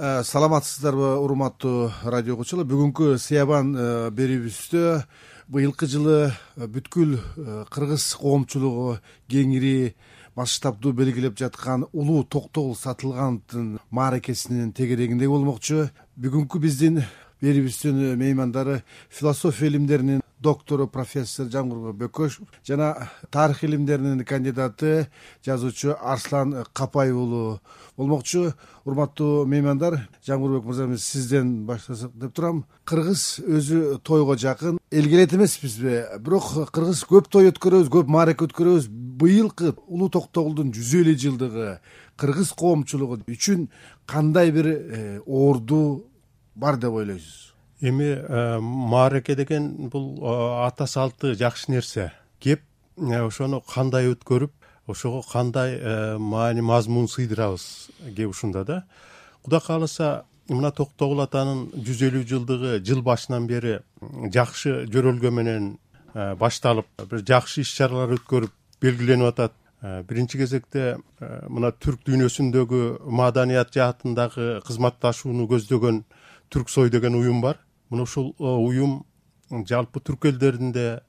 Саламатсыздарбы, урматтуу радио окуучулар. Бүгүнкү Сыябан берүүбүздө быйылкы жылы бүткүл кыргыз коомчулугу кеңири масштабдуу белгилеп жаткан улуу Токтогул Сатылгановдун мааракесинин тегерегинде болмокчу. Бүгүнкү биздин берүүбүздүн меймандары философия илимдеринин доктору профессор Жамгырбек Бөкөшев жана тарых илимдеринин кандидаты жазуучу Арслан Капай уулу болмокчу. Урматтуу меймандар, Жамгырбек мырза, сизден баштасак деп турам. Кыргыз өзү тойго жакын, элге элет эмеспизби? Бирок кыргыз көп той өткөрөбүз, көп маараке өткөрөбүз. Быйылкы улуу Токтогулдун 150 жылдыгы кыргыз коомчулугу үчүн кандай бир орду бар деп ойлойсуз? Эми маараке деген бул ата салты жакшы нерсе. Кеп ошону кандай өткөрүп, ошого кандай маани мазмун сыйдырабыз кеп ушунда да. Кудай кааласа, мына Токтогул атанын 150 жылдыгы жыл башынан бери жакшы жөрөлгө менен башталып, бир жакшы иш-чаралар өткөрүп белгиленип атат. Биринчи кезекте мына түрк дүйнөсүндөгү маданият жаатындагы кызматташууну көздөгөн Түрксой деген уюм бар. Мына ушул уюм жалпы түрк элдеринде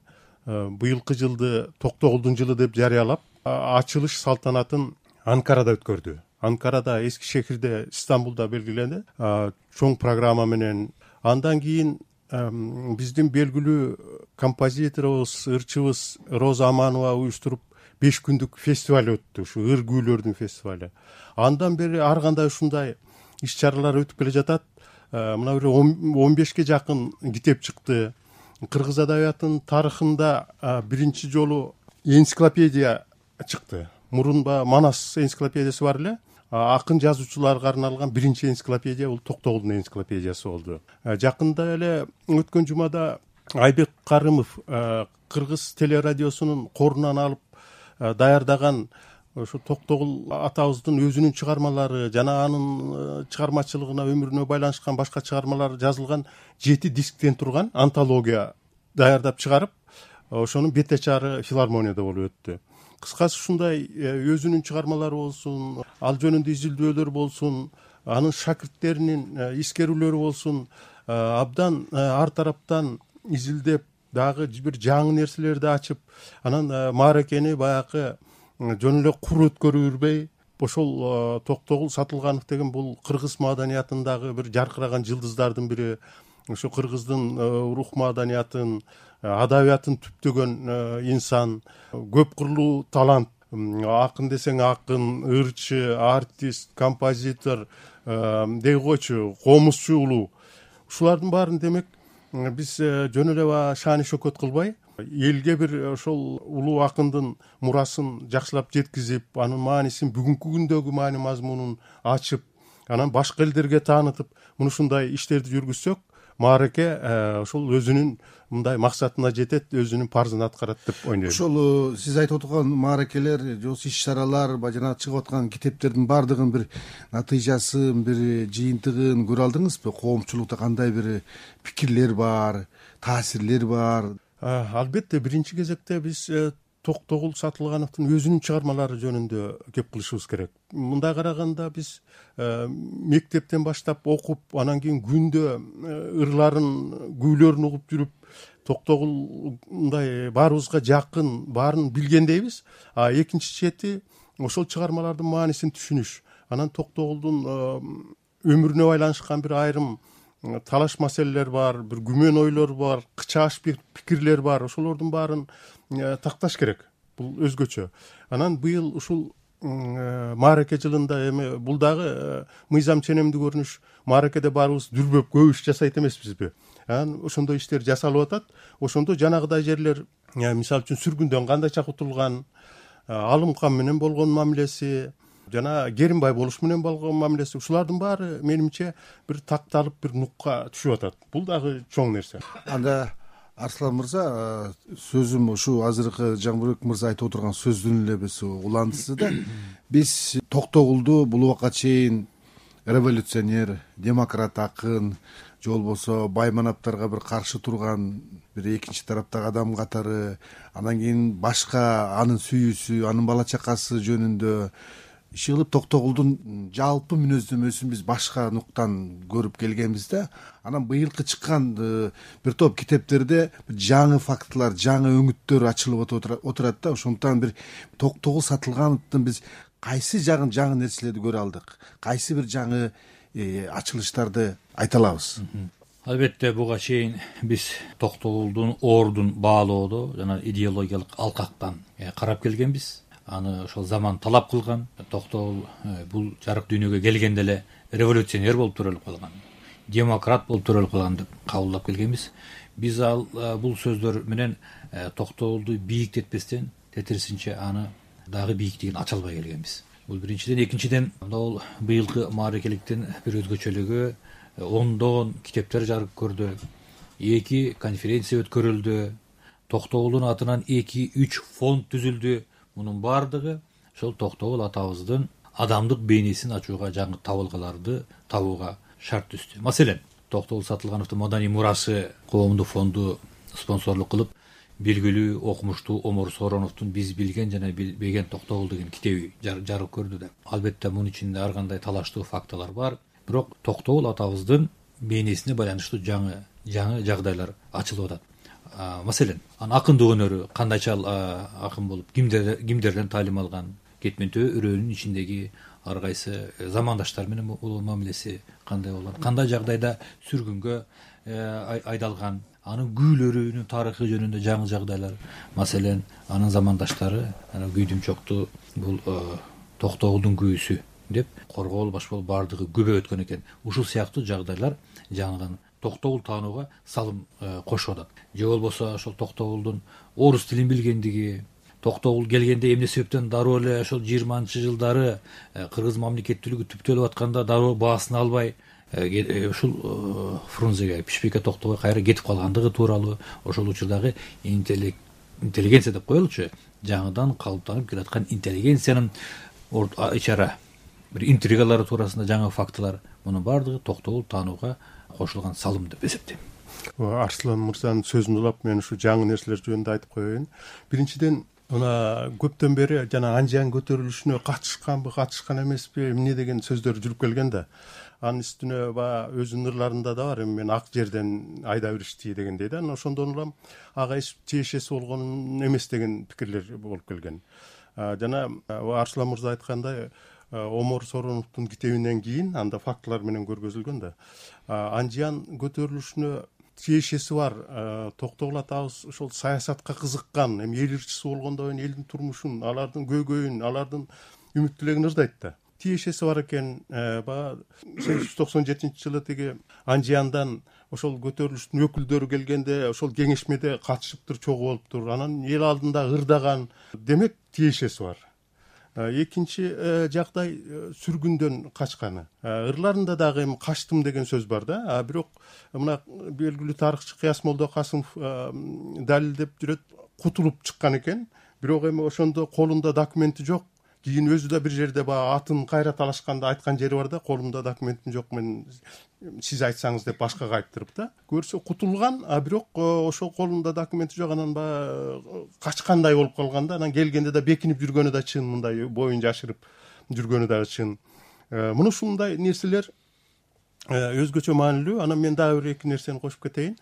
быйылкы жылды Токтогулдун жылы деп жарыялап, ачылыш салтанатын Анкарада өткөрдү. Анкарада, эски шехирде, Стамбулда белгиленди. Чоң программа менен. Андан кийин биздин белгилүү композиторубуз, ырчыбыз Роза Аманова уюштуруп 5 күндүк фестиваль өттү, ушу ыр күүлөрдүн фестиваль. Андан бери ар кандай ушундай иш-чаралар өтүп келе жатат. Мына бир 15ке жакын китеп чыкты. Кыргыз адабиятынын тарыхында биринчи жолу энциклопедия чыкты. Мурунба Манас энциклопедиясы бар эле. Акын жазуучуларга арналган биринчи энциклопедия бул Токтогулдун энциклопедиясы болду. Жакында эле өткөн жумада Айбек Карымов Кыргыз телерадиосунун корунан алып даярдаган ошо Токтогул атабыздын өзүнүн чыгармалары жана анын чыгармачылыгына, өмүрүнө байланышкан башка чыгармалар жазылган 7 дисктен турган антология даярдап чыгарып, ошонун бетечары филармонияда болуп өттү. Кыскасы ушундай өзүнүн чыгармалары болсун, ал жөнүндө изилдөөлөр болсун, анын шакирттеринин искерүүлөрү болсун, абдан ар тараптан изилдеп, дагы бир жаңы нерселерди ачып, анан мааракени баягы жөн эле кур өткөрүрбөй, ошол Токтогул Сатылганов деген бул кыргыз маданиятындагы бир жаркыраган жылдыздардын бири. Ошо кыргыздын рух маданиятын, адабиятын түптөгөн инсан, көп кырлуу талант. Акын десең акын, ырчы, артист, композитор, дей койчу, комузчу улуу. Ушулардын баарын демек биз жөн эле шааны шөкөт кылбай, элге бир ошол улуу акындын мурасын жакшылап жеткизип, анын маанисин, бүгүнкү күндөгү маани мазмунун ачып, анан башка элдерге таанытып, мына ушундай иштерди жүргүзсөк, маараке ошол өзүнүн мындай максатына жетет, өзүнүн парзын аткарат деп ойлойм. Ошол сиз айтып отурган мааракелер, иш-чаралар, жана чыгып аткан китептердин баардыгын бир натыйжасын, бир жыйынтыгын көрө алдыңызбы? Коомчулукта кандай бир пикирлер бар, таасирлер бар? Албетте, биринчи кезекте биз Токтогул Сатылгановдун өзүнүн чыгармалары жөнүндө кеп кылышыбыз керек. Мындай караганда биз мектептен баштап окуп, анан кийин күндө ырларын, күүлөрүн угуп жүрүп, Токтогул мындай баарыбызга жакын, баарын билгендейбиз. Экинчи чети ошол чыгармалардын маанисин түшүнүш. Анан Токтогулдун өмүрүнө байланышкан бир айрым талаш маселелер бар, бир күмөн ойлор бар, кычааш пикирлер бар. Ошолордун баарын такташ керек. Бул өзгөчө. Анан быйыл ушул маараке жылында эми бул дагы мыйзам ченемдүү көрүнүш. Мааракеде баарыбыз дүрбөп көп иш жасайт эмеспизби? Анан ошондой иштер жасалып атат. Ошондо жанагыдай жерлер, мисалы үчүн сүргүндөн кандайча кутулган, Алым кан менен болгон мамилеси, жана Керимбай болуш менен болгон мамилеси, ушулардын баары менимче бир такталып, бир нукка түшүп атат. Бул дагы чоң нерсе. Анда Арслан мырза, сөзүм ушу азыркы Жамбырбек мырза айтып отурган сөздүн эле биз уландысы да. Биз Токтогулду бул убакка чейин революционер, демократ акын, же болбосо байманаптарга бир каршы турган бир экинчи тараптагы адам катары, анан кийин башка анын сүйүүсү, анын бала чакасы жөнүндө иши кылып Токтогулдун жалпы мүнөздөмөсүн биз башка нуктан көрүп келгенбиз да. Анан быйылкы чыккан бир топ китептерде жаңы фактылар, жаңы өңүттөр ачылып отурат да. Ошондуктан бир Токтогул Сатылгановдун биз кайсы жаңы нерселерди көрө алдык, кайсы бир жаңы ачылыштарды айта алабыз? Албетте буга чейин биз Токтогулдун ордун баалоодо жана идеологиялык алкактан карап келгенбиз. Аны ошол заман талап кылган. Токтогул бул жарык дүйнөгө келгенде эле революционер болуп төрөлүп калган, демократ болуп төрөлүп калган деп кабылдап келгенбиз. Биз бул сөздөр менен Токтогулду бийиктетпестен, тетирисинче аны дагы бийиктигин ача албай келгенбиз. Бул биринчиден. Экинчиден, бул быйылкы мааракеликтин бир өзгөчөлүгү ондогон китептер жарык көрдү, 2 конференция өткөрүлдү, Токтогулдун атынан 2-3 фонд түзүлдү. Мунун баардыгы ошол Токтогул атабыздын адамдык бейнесин ачууга, жаңы табылгаларды табууга шарт түздү. Маселен, Токтогул Сатылгановдун Маданий мурасы коомдук фонду спонсорлук кылып, белгилүү окумуштуу Омор Сороновдун Биз билген жана билбеген Токтогул деген китеби жарык көрдү да. Албетте мунун ичинде ар кандай талаштуу фактылар бар. Бирок Токтогул атабыздын бейнесине байланыштуу жаңы жагдайлар ачылып атат. Маселен, анын акындык өнөрү кандайча акын болуп, кимдерден таалим алган, кетментөө өрөөнүн ичиндеги ар кайсы замандаштар менен мамилеси кандай болгон, кандай жагдайда сүргүнгө айдалган, анын күүлөрүнүн тарыхы жөнүндө жаңы жагдайлар. Маселен, анын замандаштары күйдүмчөктү бул Токтогулдун күүсү деп коргоол баш болуп баардыгы күбө өткөн экен. Ушул сыяктуу жагдайлар жаңыдан Токтогул таанууга салым кошуп атат. Же болбосо ошол Токтогулдун орус тилин билгендиги, Токтогул келгенде эмне себептен дароо эле ошол 20-жылдары кыргыз мамлекеттүүлүгү түптөлүп атканда дароо баасын албай ушул Фрунзеге, Пишпекке Токтогулга кайра кетип калгандыгы тууралуу, ошол учурдагы интеллигенция деп коелучу, жаңыдан калыптанып келаткан интеллигенциянын ичара бир интригалары туурасында жаңы фактылар, мунун баардыгы Токтогул таанууга кошулган салым деп эсептейм. Арслан мырзанын сөзүн улап мен ушу жаңы нерселер жөнүндө айтып коеюн. Биринчиден, мына көптөн бери жана Анжан көтөрүлүшүнө катышкан эмеспи, эмне деген сөздөр жүрүп келген да. Анын үстүнө өзүнүн ырларында да бар, мен ак жерден айда беришти дегендей да. Ошондон улам ага эч тиешеси болгон эмес деген пикирлер болуп келген. Жана Арслан мырза айткандай, Омор Сороновдун китебинен кийин анда фактылар менен көргөзүлгөн да. Анжан көтөрүлүшүнө тиешеси бар. Токтогул атабыз ошол саясатка кызыккан, эми эл ырчысы болгондон кийин элдин турмушун, алардын көйгөйүн, алардын үмүт тилегин ырдайт да. Тиешеси бар экен. 1897-жылы тиги Анжияндан ошол көтөрүлүштүн өкүлдөрү келгенде ошол кеңешмеде катышыптыр, чогуу болуптур. Анан эл алдында ырдаган, демек тиешеси бар. Экинчи жагдай сүргүндөн качканы. Ырларында дагы эми качтым деген сөз бар да. Бирок мына белгилүү тарыхчы Кыяс Молдокасымов далилдеп жүрөт, кутулуп чыккан экен. Бирок эми ошондо колунда документи жок. Кийин өзү да бир жерде атын кайра талашканда айткан жери бар да, колумда документим жок, мен сиз айтсаңыз деп башкага айттырып да. Көрсө кутулган, бирок ошол колунда документи жок, анан качкандай болуп калган да. Анан келгенде да бекинип жүргөнү да чын, мындай боюн жашырып жүргөнү да чын. Муну ушундай нерселер өзгөчө маанилүү. Анан мен дагы бир эки нерсени кошуп кетейин.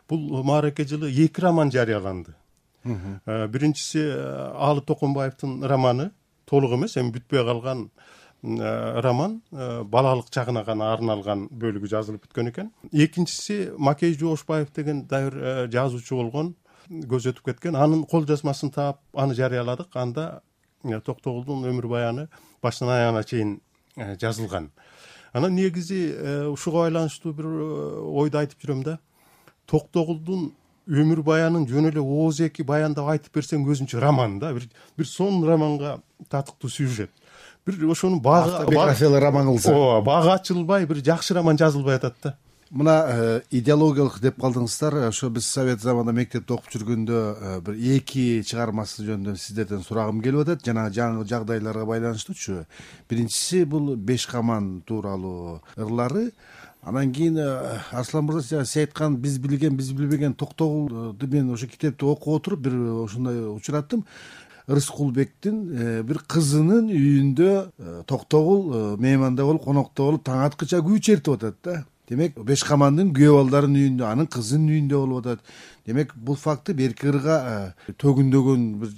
Бул маараке жылы 2 роман жарыяланды. Биринчиси Алы Токонбаевдин романы, толук эмес, эми бүтпөй калган роман, балалык чагына гана арналган бөлүгү жазылып бүткөн экен. Экинчиси Макей Жоошбаев деген дайыр жазуучу болгон, көз өтүп кеткен. Анын кол жазмасын таап, аны жарыяладык. Анда Токтогулдун өмүр баяны башынан аягына чейин жазылган. Анан негизи ушуга байланыштуу бир ойду айтып жүрөм да. Токтогулдун өмүр баянын жөн эле ооз эки баяндап айтып берсең өзүнчө роман да, бир сон романга татыктуу сюжет. Бир ошонун биографиялык роман кылса, бага ачылбай бир жакшы роман жазылбай атат да. Мына идеологиялык деп калдыңыздар. Ошо биз совет заманында мектепте окуп жүргөндө бир 2 чыгармасы жөнүндө сиздерден сурагым келип атат. Жана жаңы жагдайларга байланыштуучу. Биринчиси бул Беш каман тууралуу ырлары. Анан кийин Арслан мырза сиз айткан биз билбеген Токтогулду мен ошо китепти окуп отуруп бир ушундай учураттым. Рыскулбектин бир кызынын үйүндө Токтогул мейманда болуп, конокто болуп, таң аткыча күү чертип атат да. Демек, Бешкамандын күйөө балдарынын үйүндө, анын кызынын үйүндө болуп атат. Демек, бул факты берки ырга төгүндөгөн бир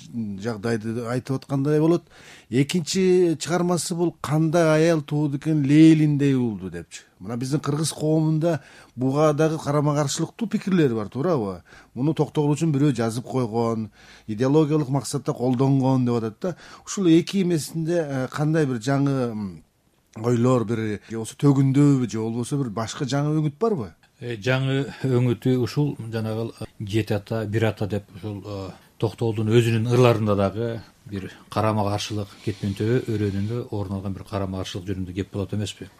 жагдайды айтып аткандай болот. Экинчи чыгармасы бул кандай аял тууду экен Лейлиндей уулду депчи. Мына биздин кыргыз коомунда буга дагы карама каршылыктуу пикирлер бар, туурабы? Муну Токтогул үчүн бирөө жазып койгон, идеологиялык максатта колдонгон деп атат да. Ушул эки эмесинде кандай бир жаңы ойлор, бир болсо төгүндөбү же болбосо бир башка жаңы өңүт барбы? Жаңы өңүтү ушул жанагы жети ата, бир ата деп ушул Токтогулдун өзүнүн ырларында дагы бир карама каршылык кетмен төбө өрөөнүндө орун алган бир карама каршылык жөнүндө кеп болот эмеспи?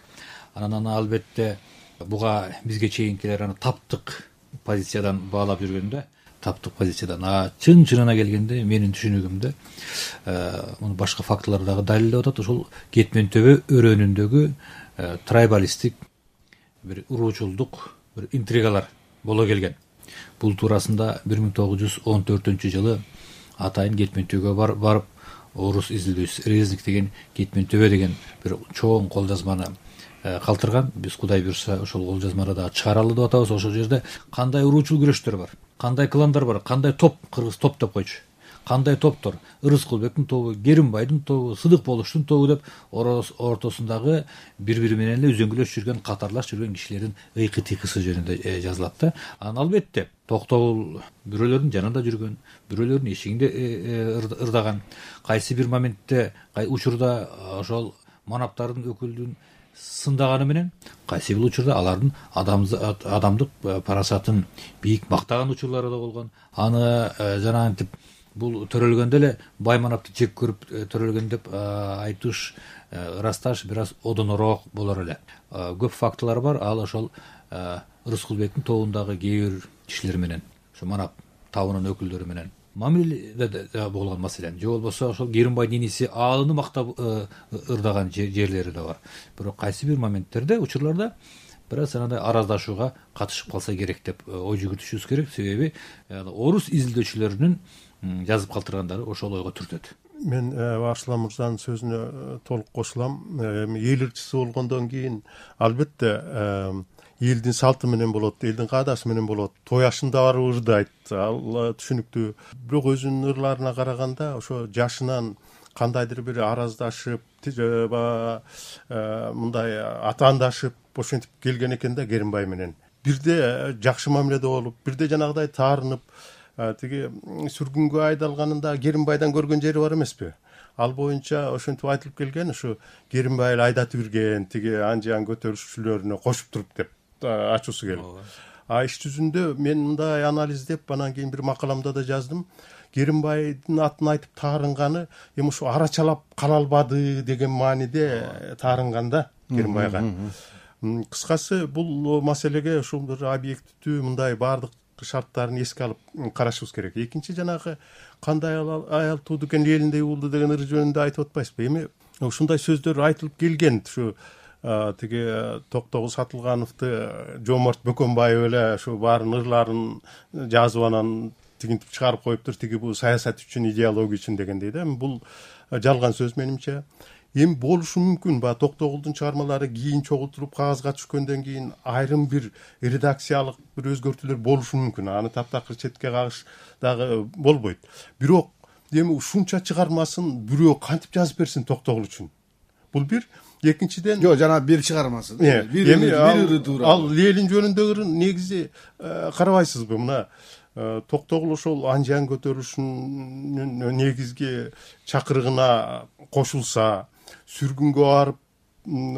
Анан албетте буга бизге чейинкилер аны таптык позициядан баалап жүргөндө, таптык позициядан чынына келгенде менин түшүнүгүмдө муну башка фактылар дагы далилдеп атат. Ушул кетмен төбө өрөөнүндөгү трайбалисттик бир уруучулдук, бир интригалар боло келген. Бул туурасында 1914-жылы атайын кетмен төбөгө барып, орус изилдөөчүсү Резник деген кетмен төбө деген бир чоң кол жазманы калтырган. Биз Кудай буйрса ошол кол жазманы дагы чыгаралы деп атабыз. Ошол жерде кандай уруучул күрөштөр бар, кандай кландар бар, кандай топ, кыргыз топ деп койчу. Кандай топтор? Рыскулбектин тобу, Керимбайдын тобу, Сыдык Болуштун тобу деп ортосундагы бири-бири менен эле үзөңгүлөшүп жүргөн, катарлашып жүргөн кишилердин ыйкы-тыйкысы жөнүндө жазылат да. Анан албетте Токтогул бирөөлөрдүн жанында жүргөн, бирөөлөрдүн эшигинде ырдаган, кайсы бир моментте, учурда ошол манаптардын өкүлдүн сындаганы менен, кайсы бир учурда алардын адамдык парасатын бийик мактаган учурлары да болгон. Аны жанагынтип бул төрөлгөндө эле бай манапты жек көрүп төрөлгөн деп айтыш, ырасташ бир аз одонороок болор эле. Көп фактылар бар. Ал ошол Рыскулбектин тобундагы кээ бир кишилер менен, ошо манап табынын өкүлдөрү менен мамиледе болгон маселен, же болбосо ошол Керимбайдын иниси Аалыны мактап ырдаган жерлери да бар. Бирок кайсы бир моменттерде, учурларда бир аз анандай араздашууга катышып калса керек деп ой жүгүртүшүбүз керек. Себеби орус изилдөөчүлөрүнүн жазып калтыргандары ошол ойго түртөт. Мен Арслан мырзанын сөзүнө толук кошулам. Эл ырчысы болгондон кийин албетте элдин салты менен болот, элдин каадасы менен болот. Той ашында барып ырдайт, ал түшүнүктүү. Бирок өзүнүн ырларына караганда ошо жашынан кандайдыр бир араздашып, мындай атаандашып ошентип келген экен да Керимбай менен. Бирде жакшы мамиледе болуп, бирде жанагыдай таарынып, тиги сүргүнгө айдалганында Керимбайдан көргөн жери бар эмеспи? Ал боюнча ошентип айтылып келген, ушу Керимбай эле айдатып ирген, тиги анжан көтөрүшчүлөрүнө кошуп туруп деп ачуусу келип. Иш жүзүндө мен мындай анализдеп, анан кийин бир макаламда да жаздым. Керимбайдын атын айтып таарынганы эми ушу арачалап кала албады деген мааниде таарынганда Керимбайга. Кыскасы бул маселеге ушул бир объективдүү мындай баардык шарттарын эске алып карашыбыз керек. Экинчи жанагы кандай аял тууду экен Лейлиндей уулду деген ыр жөнүндө айтып атпайсызбы? Эми ушундай сөздөр айтылып келген. Ушу тиги Токтогул Сатылгановду Жомарт Бөкөнбаев эле ушу баарын ырларын жазып анан тигинтип чыгарып коюптур, тиги бул саясат үчүн, идеология үчүн дегендей да. Бул жалган сөз менимче. Эми болушу мүмкүн. Токтогулдун чыгармалары кийин чогултуруп кагазга түшкөндөн кийин айрым бир редакциялык бир өзгөртүүлөр болушу мүмкүн. Аны таптакыр четке кагыш дагы болбойт. Бирок эми ушунча чыгармасын бирөө кантип жазып берсин Токтогул үчүн? Бул бир. Экинчиден жок, жана бир чыгармасын. Эми ал Лейлин жөнүндөгү негизи карабайсызбы? Мына Токтогул ошол анжан көтөрүшүнүн негизги чакырыгына кошулса, сүргүнгө барып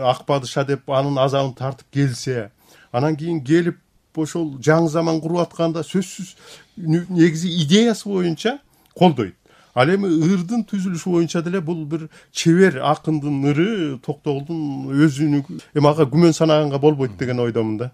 ак падыша деп анын азабын тартып келсе, анан кийин келип ошол жаңы заман куруп атканда сөзсүз негизи идеясы боюнча колдойт. Ал эми ырдын түзүлүшү боюнча деле бул бир чебер акындын ыры, Токтогулдун өзүнүн эми ага күмөн санаганга болбойт деген ойдомун да.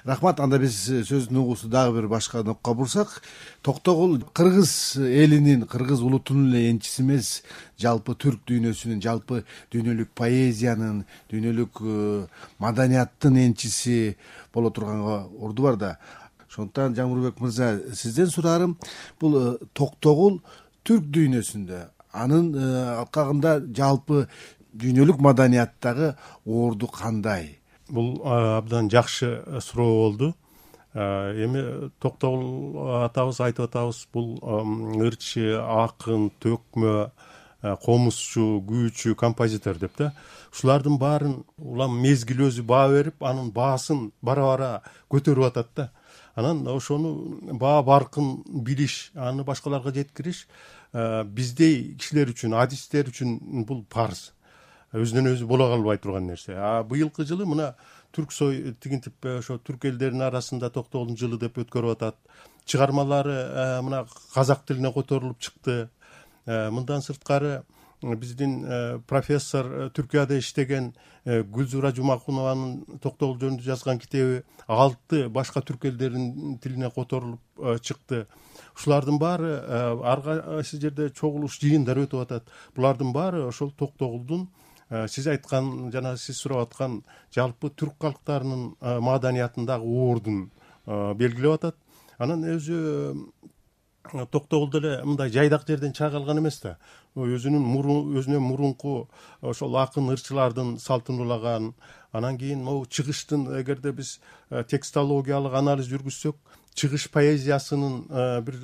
Рахмат. Анда биз сөздүн угусу дагы бир башка нокко бурсак, Токтогул кыргыз элинин, кыргыз улутунун эле энчиси эмес, жалпы түрк дүйнөсүнүн, жалпы дүйнөлүк поэзиянын, дүйнөлүк маданияттын энчиси боло турганга орду бар да. Ошондуктан Жаңырбек мырза, сизден сураарым, бул Токтогул түрк дүйнөсүндө, анын алкагында жалпы дүйнөлүк маданияттагы орду кандай? Бул абдан жакшы суроо болду. Эми Токтогул атабыз айтып атабыз, бул ырчы, акын, төкмө, комузчу, күүчү, композитор деп да. Ушулардын баарын улам мезгил өзү баа берип, анын баасын бара-бара көтөрүп атат да. Анан ошону баа баркын билиш, аны башкаларга жеткириш биздей кишилер үчүн, адистер үчүн бул парыз. Өзүнөн өзү боло калбай турган нерсе. Быйылкы жылы мына Түрксой тигинтип ошо түрк элдеринин арасында Токтогулдун жылы деп өткөрүп атат. Чыгармалары мына казак тилине которулуп чыкты. Мындан сырткары биздин профессор Түркияда иштеген Гүлзура Жумакунованын Токтогул жөнүндө жазган китеби 6 башка түрк элдеринин тилине которулуп чыкты. Ушулардын баары ар кайсы жерде чогулуш, жыйындар өтүп атат. Булардын баары ошол Токтогулдун сиз айткан, жана сиз сурап аткан жалпы түрк калктарынын маданиятындагы ордун белгилеп атат. Анан өзү Токтогул деле мындай жайдак жерден чыга калган эмес да. Өзүнөн мурунку ошол акын ырчылардын салтын улаган. Анан кийин могу чыгыштын, эгерде биз текстологиялык анализ жүргүзсөк, чыгыш поэзиясынын бир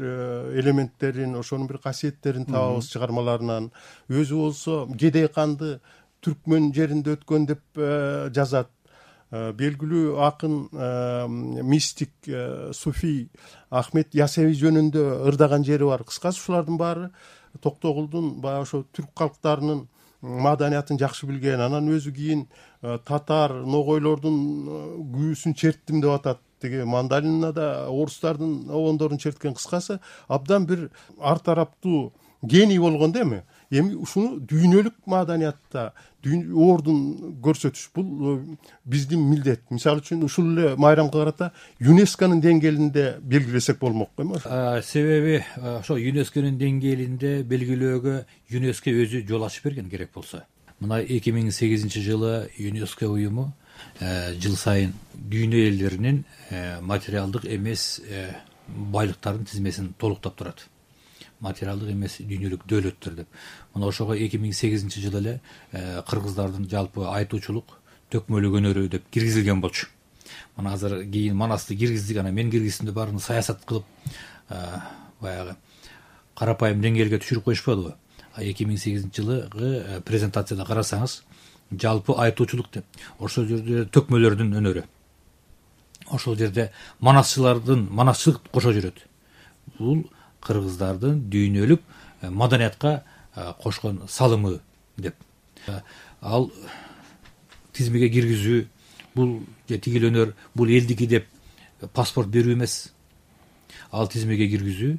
элементтерин, ошонун бир касиеттерин табабыз чыгармаларынан. Өзү болсо Кедей канды түркмөн жеринде өткөн деп жазат. Белгилүү акын, мистик, суфий Ахмет Ясеви жөнүндө ырдаган жери бар. Кыскасы ушулардын баары Токтогулдун баягы ошо түрк калктарынын маданиятын жакшы билген. Анан өзү кийин татар, ногойлордун күүсүн черттим деп атат. Тиги мандалинада орустардын обондорун черткен. Кыскасы абдан бир ар тараптуу гений болгон да эми. Эми ушуну дүйнөлүк маданиятта ордун көрсөтүш бул биздин милдет. Мисалы үчүн ушул эле майрамга карата ЮНЕСКОнун деңгээлинде белгилесек болмок эми. Себеби ошо ЮНЕСКОнун деңгээлинде белгилөөгө ЮНЕСКО өзү жол ачып берген керек болсо. Мына 2008 жылы ЮНЕСКО уюму жыл сайын дүйнө элдеринин материалдык эмес байлыктардын тизмесин толуктап турат. Материалдык эмес дүйнөлүк дөөлөттөр деп. Мына ошого 2008 жылы эле кыргыздардын жалпы айтуучулук, төкмөлүк өнөрү деп киргизилген болчу. Мына азыр кийин Манасты киргиздик, анан мен киргиздимде баарын саясат кылып баягы карапайым деңгээлге түшүрүп коюшпадыбы? 2008 жылы презентацияда карасаңыз, жалпы айтуучулук деп. Ошол жерде төкмөлөрдүн өнөрү. Ошол жерде манасчылык кошо жүрөт. Бул кыргыздардын дүйнөлүк маданиятка кошкон салымы деп. Ал тизмеге киргизүү, бул тигил өнөр, бул элдики деп паспорт берүү эмес. Ал тизмеге киргизүү,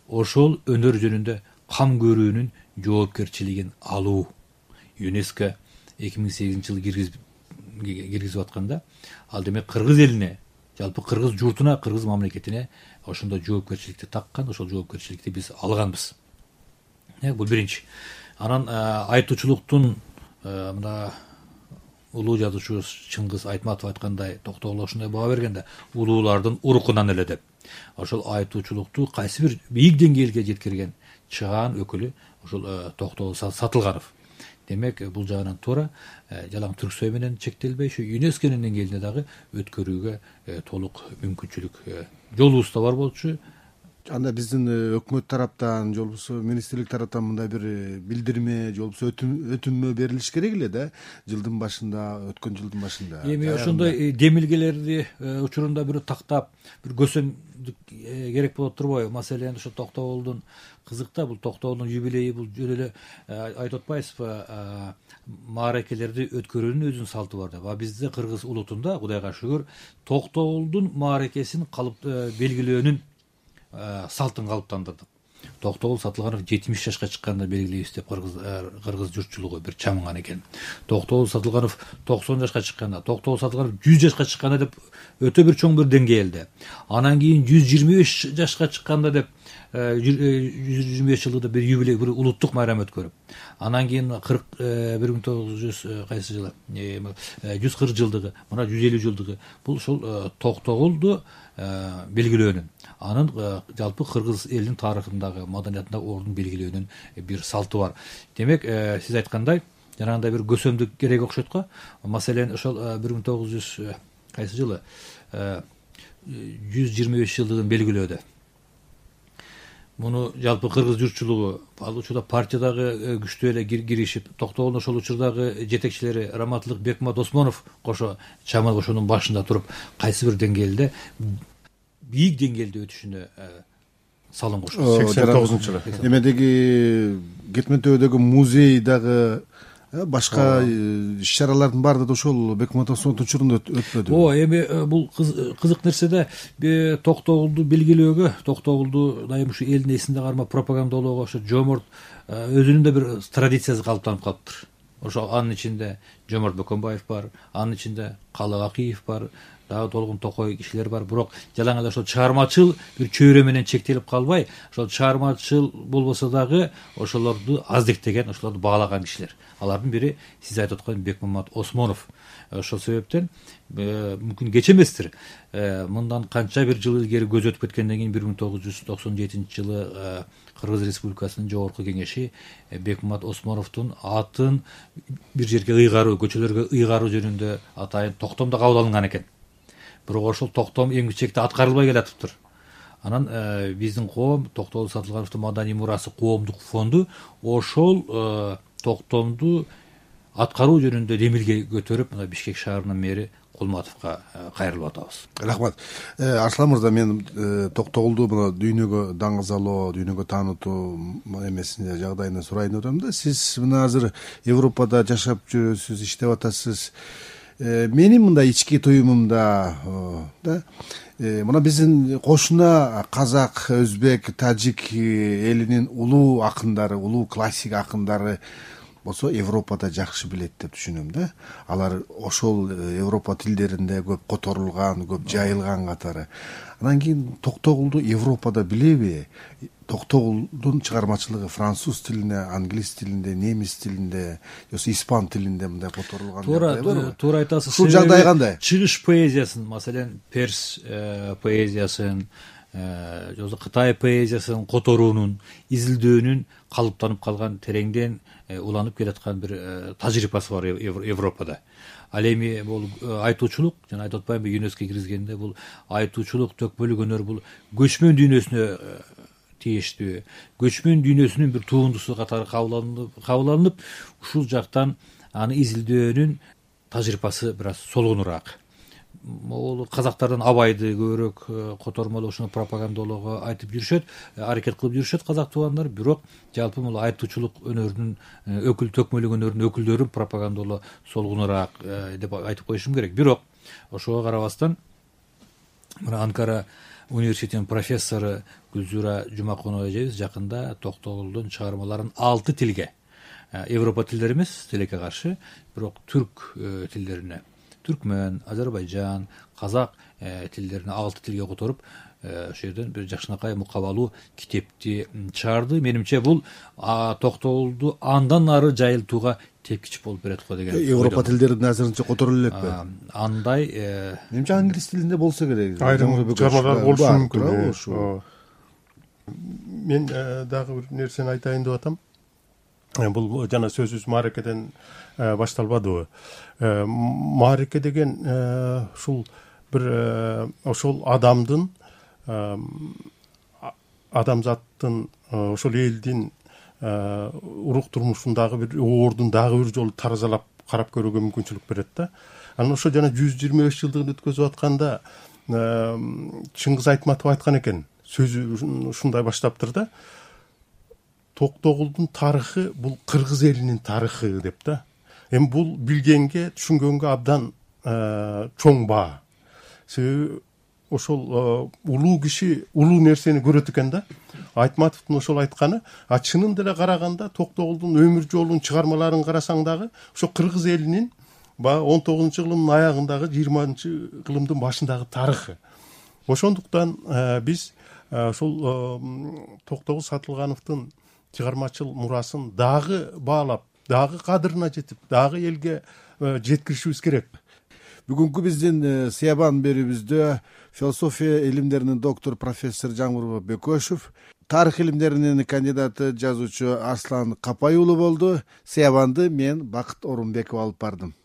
ошол өнөр жөнүндө кам көрүүнүн жоопкерчилигин алуу. ЮНЕСКО 2008 жылы киргизип атканда, ал демек кыргыз элине, жалпы кыргыз журтуна, кыргыз мамлекетине ошондо жоопкерчиликти таккан, ошол жоопкерчиликти биз алганбыз. Бул биринчи. Анан айтуучулуктун мына улуу жазуучубуз Чыңгыз Айтматов айткандай, Токтогул ошондой баа бергенде, улуулардын урукунан эле деп. Ошол айтуучулукту кайсы бир бийик деңгээлге жеткирген чыгаан өкүлү ошол Токтогул Сатылганов. Демек, бул жагынан туура, жалаң Түрксой менен чектелбей, ушу ЮНЕСКОнун деңгээлинде дагы өткөрүүгө толук мүмкүнчүлүк жолубуз да бар болчу. Анда биздин өкмөт тараптан, же болбосо министрлик тараптан мындай бир билдирме, же болбосо өтүнмө берилиш керек эле да, жылдын башында, өткөн жылдын башында. Эми ошондой демилгелерди учурунда бир тактап, бир көсөмдүк керек болот турбайбы? Маселен, ошо Токтогулдун кызык да, бул Токтогулдун юбилейи, бул жөн эле айтып атпайсызбы, мааракелерди өткөрүүнүн өзүнүн салты бар деп. Бизде кыргыз улутунда, Кудайга шүгүр, Токтогулдун мааракесин белгилөөнүн салтын калыптандырдык. Токтогул Сатылганов 70 жашка чыкканда белгилейбиз деп кыргыз журтчулугу бир чамынган экен. Токтогул Сатылганов 90 жашка чыкканда, Токтогул Сатылганов 100 жашка чыкканда деп өтө бир чоң бир деңгээлде. Анан кийин 125 жашка чыкканда деп 125 жылдыгы бир юбилей, бир улуттук майрам өткөрүп, анан кийин 1900 кайсы жылы 140 жылдыгы, мына 150 жылдыгы, бул ошол Токтогулду белгилөөнүн, анын жалпы кыргыз элинин тарыхындагы, маданиятындагы ордун белгилөөнүн бир салты бар. Демек, сиз айткандай, жанагындай бир көсөмдүк керек окшойт го. Маселен, ошол 1900 кайсы жылы 125 жылдыгын белгилөөдө муну жалпы кыргыз журтчулугу, ал учурда партиядагы күчтүү эле киришип, Токтогулдун ошол учурдагы жетекчилери Раматылык Бекмамат Осмонов кошо чамал ошонун башында туруп, кайсы бир деңгээлде, бийик деңгээлде өтүшүнө салым кошот. 89-жылы. Эмедеги Кетмен төбөдөгү музей дагы башка иш-чаралардын баары да ошол Бекмамат Осмоновдун учурунда өтпөдү. Эми бул кызык нерсе да, Токтогулду белгилөөгө, Токтогулду дайым ушу элдин эсинде кармап пропагандалоого ошо Жоморт өзүнүн да бир традициясы калыптанып калыптыр. Ошо анын ичинде Жоморт Бөкөнбаев бар, анын ичинде Калык Акиев бар, дагы Толгун Токой кишилер бар. Бирок жалаң эле ошол чыгармачыл бир чөйрө менен чектелип калбай, ошол чыгармачыл болбосо дагы ошолорду аздектеген, ошолорду баалаган кишилер. Алардын бири сиз айтып аткан Бекмамат Осмонов. Ошол себептен мүмкүн кеч эместир. Мындан канча бир жыл илгери көз өтүп кеткенден кийин 1997 жылы Кыргыз Республикасынын жогорку кеңеши Бекмамат Осмоновдун атын бир жерге ыйгаруу, көчөлөргө ыйгаруу жөнүндө атайын токтомдо кабыл алынган экен. Бирок ошол токтом эң чекте аткарылбай келатыптыр. Анан биздин коом, Токтогул Сатылгановдун маданий мурасы коомдук фонду ошол токтомду аткаруу жөнүндө демилге көтөрүп, мына Бишкек шаарынын мэри Кулматовго кайрылып атабыз. Рахмат. Арслан мырза, мен Токтогулду мына дүйнөгө даңгызалоо, дүйнөгө таанытуу эмесине жагдайына сурайын деп атам да. Сиз мына азыр Европада жашап жүрөсүз, иштеп атасыз. Менин мындай ички туюмумда мына биздин кошуна казак, өзбек, тажик элинин улуу акындары, улуу классик акындары болсо Европада жакшы билет деп түшүнөм да. Алар ошол Европа тилдеринде көп которулган, көп жайылган катары. Анан кийин Токтогулду Европада билеби? Токтогулдун чыгармачылыгы француз тилинде, англис тилинде, немис тилинде, же испан тилинде мындай которулган. Туура айтасыз. Ушул жагдай кандай? Чыгыш поэзиясын, маселен, перс поэзиясын, же Кытай поэзиясын которуунун, изилдөөнүн калыптанып калган, тереңден уланып келаткан бир тажрыйбасы бар Европада. Ал эми бул айтуучулук, жана айтып атпаймынбы, ЮНЕСКО киргизгенде бул айтуучулук, төкмөлүк өнөр бул көчмөн дүйнөсүнө тийиштүү, көчмөн дүйнөсүнүн бир туундусу катары кабыл алынып, ушул жактан аны изилдөөнүн тажрыйбасы бир аз солгонураак. Ол казактардан Абайды көбүрөөк котормолошуну, пропагандалоого айтып жүрүшөт, аракет кылып жүрүшөт казак туугандар. Бирок жалпы бул айтуучулук өнөрүнүн төкмөлүк өнөрүнүн өкүлдөрүн пропагандалоо солгонураак деп айтып коюшум керек. Бирок ошого карабастан мына Анкара университетинин профессору Гүлзура Жумакунова эжебиз жакында Токтогулдун чыгармаларын 6 тилге, Европа тилдери эмес, тилекке каршы, бирок түрк тилдерине, түркмөн, Азербайжан, казак тилдерине 6 тилге которуп, ошол жерден бир жакшынакай мукабалуу китепти чыгарды. Менимче бул Токтогулду андан ары жайылтууга тепкич болуп берет го деген. Европа тилдеринде азырынча которулуп элекпи? Андай менимче англис тилинде болсо керек. Айрым чыгармалар болушу мүмкүн. Мен дагы бир нерсени айтайын деп атам. Бул жана сөзүбүз мааракеден башталбадыбы? Маареке деген ушул бир ошол адамдын, адамзаттын, ошол элдин урук турмушундагы бир ордун дагы бир жолу таразалап карап көрүүгө мүмкүнчүлүк берет да. Анан ошо жана 125 жылдыгын өткөзүп атканда Чыңгыз Айтматов айткан экен, сөзү ушундай баштаптыр да. Токтогулдун тарыхы бул кыргыз элинин тарыхы деп да. Эми бул билгенге, түшүнгөнгө абдан чоң баа. Себеби ошол улуу киши улуу нерсени көрөт экен да. Айтматовдун ошол айтканы, чынын деле караганда Токтогулдун өмүр жолун, чыгармаларын карасаң дагы ошо кыргыз элинин 19-кылымдын аягындагы 20-кылымдын башындагы тарыхы. Ошондуктан биз ушул Токтогул Сатылгановдун чыгармачыл мурасын дагы баалап, дагы кадырына жетип, дагы элге жеткиришибиз керек. Бүгүнкү биздин Сыябан берүүбүздө философия илимдеринин доктору профессор Жаңгур Бекөшев, тарых илимдеринин кандидаты жазуучу Арслан Капай уулу болду. Сыябанды мен Бакыт Орунбеков алып бардым.